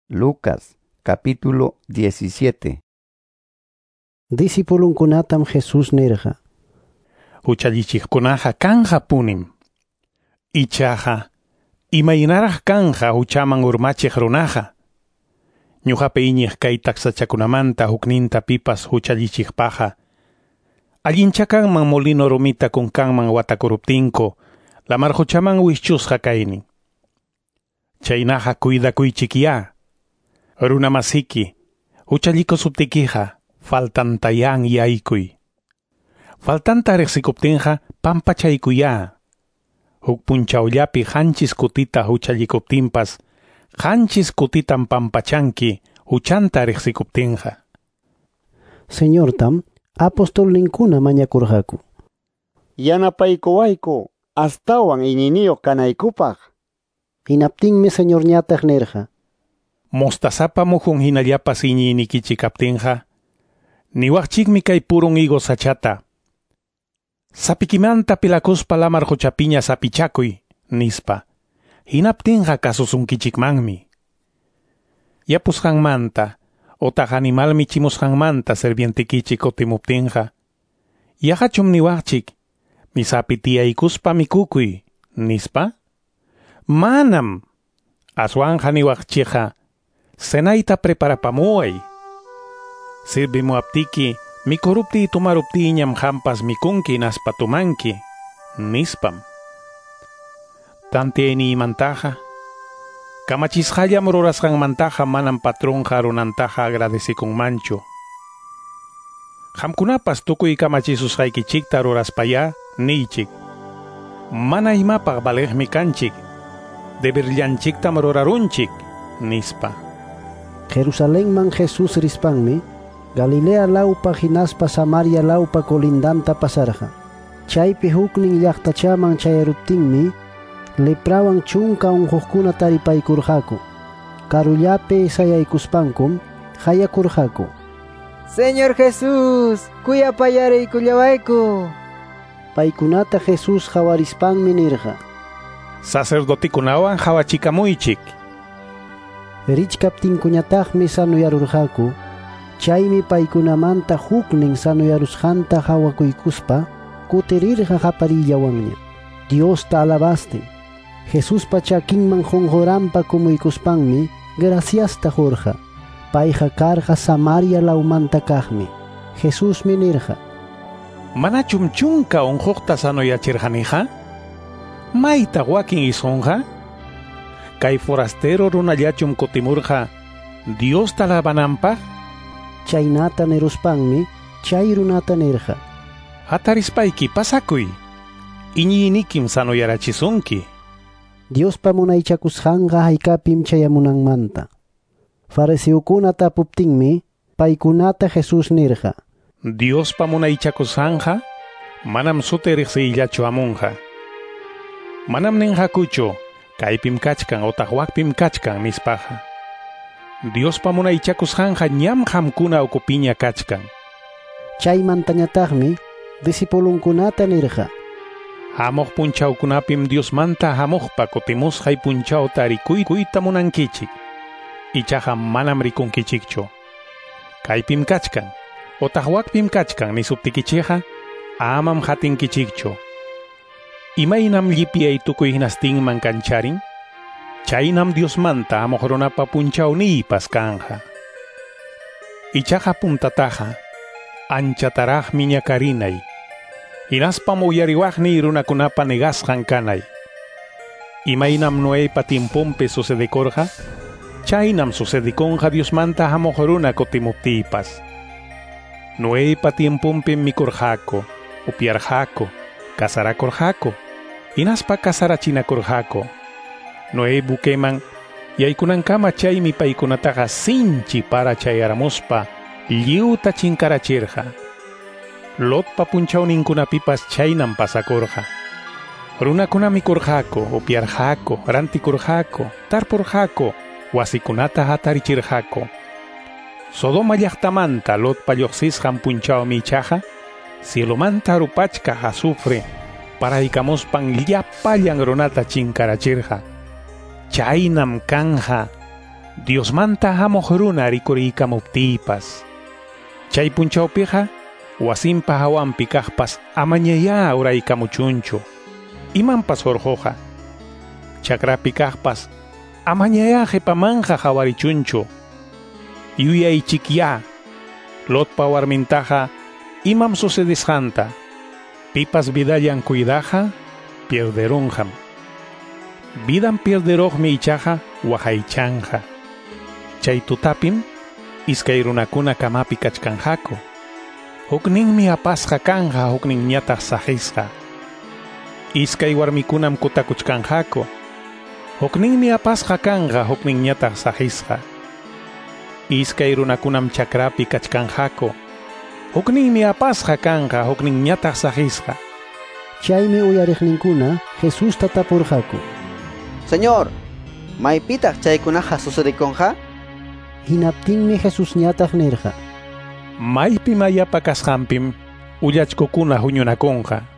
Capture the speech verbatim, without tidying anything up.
Lucas capítulo diecisiete. Discipulunkunatam Jesús nirqa: Huchallichiqkunaqa kanja punim. Ichaqa, imaynaraq kanja huchaman urmachiq runaqa. Ñuqapi iñiq kay taksachakunamanta hukninta pipas huchallichiqpaqa. Allinchakanman molino rumita kunkanman watakuruptinku, lamar huchaman wischusqa kaynin. Chaynaqa cuidakuychikyá. Runa masiki, huchallikusuptikiqa, faltantayan yaykuy. Faltanta riqsikuptinqa pampachaykuyá. Huk punchawllapi qanchis kutita huchallikuptinpas, qanchis kutitam pampachanki huchanta riqsikuptinqa. Señortam apostolninkuna mañakurqaku: Yanapaykuwayku astawan iñiyniyuq kanaykupaq. Hinaptinmi Señorñataq nirqa: Mostazapa muhun hinallapas iñiynikichik kaptinqa, niwaqchikmi kay purun higo sachata: Sapikimanta pilakuspa lamar quchapiña sapichakuy, nispa. Hinaptinqa kasusunkichikmanmi. Yapusqanmanta, otaq animal michimusqanmanta sirvientikichik kutimuptinqa, yaqachum niwaqchik, misapi tiyaykuspa mikukuy, nispa? Manam. Aswanja niwaqchikqa, cenayta preparapamuway. Sirvimuaptiki, mikuruptiy tumaruptiyñam qampas mikunki hinaspa tumanki, nispam. Tantiyayniymantaqa, kamachisqallam rurasqanmantaqa manam patronqa runantaqa agradecikunmanchu. Qamkunapas tukuy kamachisusqaykichikta ruraspayá niychik: Mana imapaq valiqmi kanchik, deberllanchiktam rurarunchik, nispa. Jerusalenman Jesús rispanmi Galilea lawpa hinaspa Samaria lawpa colindanta pasarqa. Chaypi huknin llaqtachaman chayaruptinmi leprawan chunka unquqkuna taripaykurqaku. Karullapi sayaykuspankum hayakurqaku: Señor Jesús, kuyapayariykullawayku. Paykunata Jesús hawarispanmi nirqa: Sacerdotikunawan hawachikamuychik. Richkaptinkuñataqmi sanuyarurqaku. Chaymi paykunamanta huknin sanuyarusqanta hawakuykuspa kutirirqa qaparillawanña Diosta alabastin. Jesuspa chakinman qunquranpa kumuykuspanmi graciasta qurqa. Payqa karqa Samaria lawmanta kaqmi. Jesusmi nirqa: Manachum chunka unquqta sanuyachirqaniqa? Mayta wakin isqunqa? Kay forastero runallachum kutimurqa Diosta alabananpaq? Chaynata niruspanmi chay runata nirqa: Hatarispayki pasakuy, iñiynikim sanuyarachisunki. Diospa munaychakusqanqa haykapim chayamunanmanta. Fariseokuna tapuptinmi paykunata Jesús nirqa: Diospa munaychakusqanqa manam suti riqsiyllachu hamunqa. Manam ninqakuchu kaypim kachkan otaq wakpim kachkan nispaqa. Diospa munaychakusqanqa ñam qamkuna ukupiña kachkan. Chaymantañataqmi discipulunkunata nirqa: Hamuq punchawkunapim Diosmanta hamuqpa kutimusqay punchawta rikuykuyta munankichik. Ichaqa manam rikunkichikchu. Kaypim kachkan otaq wakpim kachkan nisuptikichikqa amam hatinkichikchu. Imaynam llipyay tukuy hinastinman kancharin, chaynam Diosmanta hamuq runapa punchawniypas kanja. Ichaqa puntataqa anchataraqmi ñakarinay, hinaspam uyariwaqniy runakunapa negasqan kanay. Imaynam Noeypa tiemponpi sucedikurqa, chaynam sucedikunqa Diosmanta hamuq runa kutimuptiypas. Noeypa tiemponpim mikurqaku, upyarqaku, casarakurqaku, hinaspa casarachinakurqaku. Noé buqueman yaykunankama chaymi paykunataqa sinchi para chayaramuspa lliwta chinkarachirqa. Lotpa punchawninkunapipas chaynam pasakurqa. Runakuna mikurqaku, upyarqaku, rantikurqaku, tarpurqaku, wasikunata hatarichirqaku. Sodoma llaqtamanta Lotpa lluqsisqan punchawmi ichaqa cielomanta rupachkaq azufre paraykamuspan llapallan runata chinkarachirqa. Chaynam kanja Diosmanta hamuq runa rikuriykamuptiypas. Chay punchawpiqa wasinpa hawanpi kaqpas amañayá uraykamuchunchu. Imanpas hurquqa. Chakrapi kaqpas amañayá qhipamanqa qhawarichunchu. Yuyaychikyá Lotpa warmintaqa imam sucedisqanta. Pipas vidallan cuidaqa pierderunqam. Vidan pierderuqmi ichaqa waqaychanqa. Chay tutapim iskay runakuna kamapi kachkanqaku. Hukninmi apasqa kanqa, hukninñataq saqisqa. Iskay warmikunam kutakuchkanqaku. Hukninmi apasqa kanqa, hukninñataq saqisqa. Iskay runakunam chakrapi kachkanqaku. Hukninmi apasqa kanqa, hukninñataq saqisqa. Chaymi uyariqninkuna Jesusta tapurqaku: Señor, maypitaq chaykunaqa sucedikunqa? Hinaptinmi Jesusñataq nirqa: Maypi mayapa kasqanpim ullachkukuna huñunakunqa.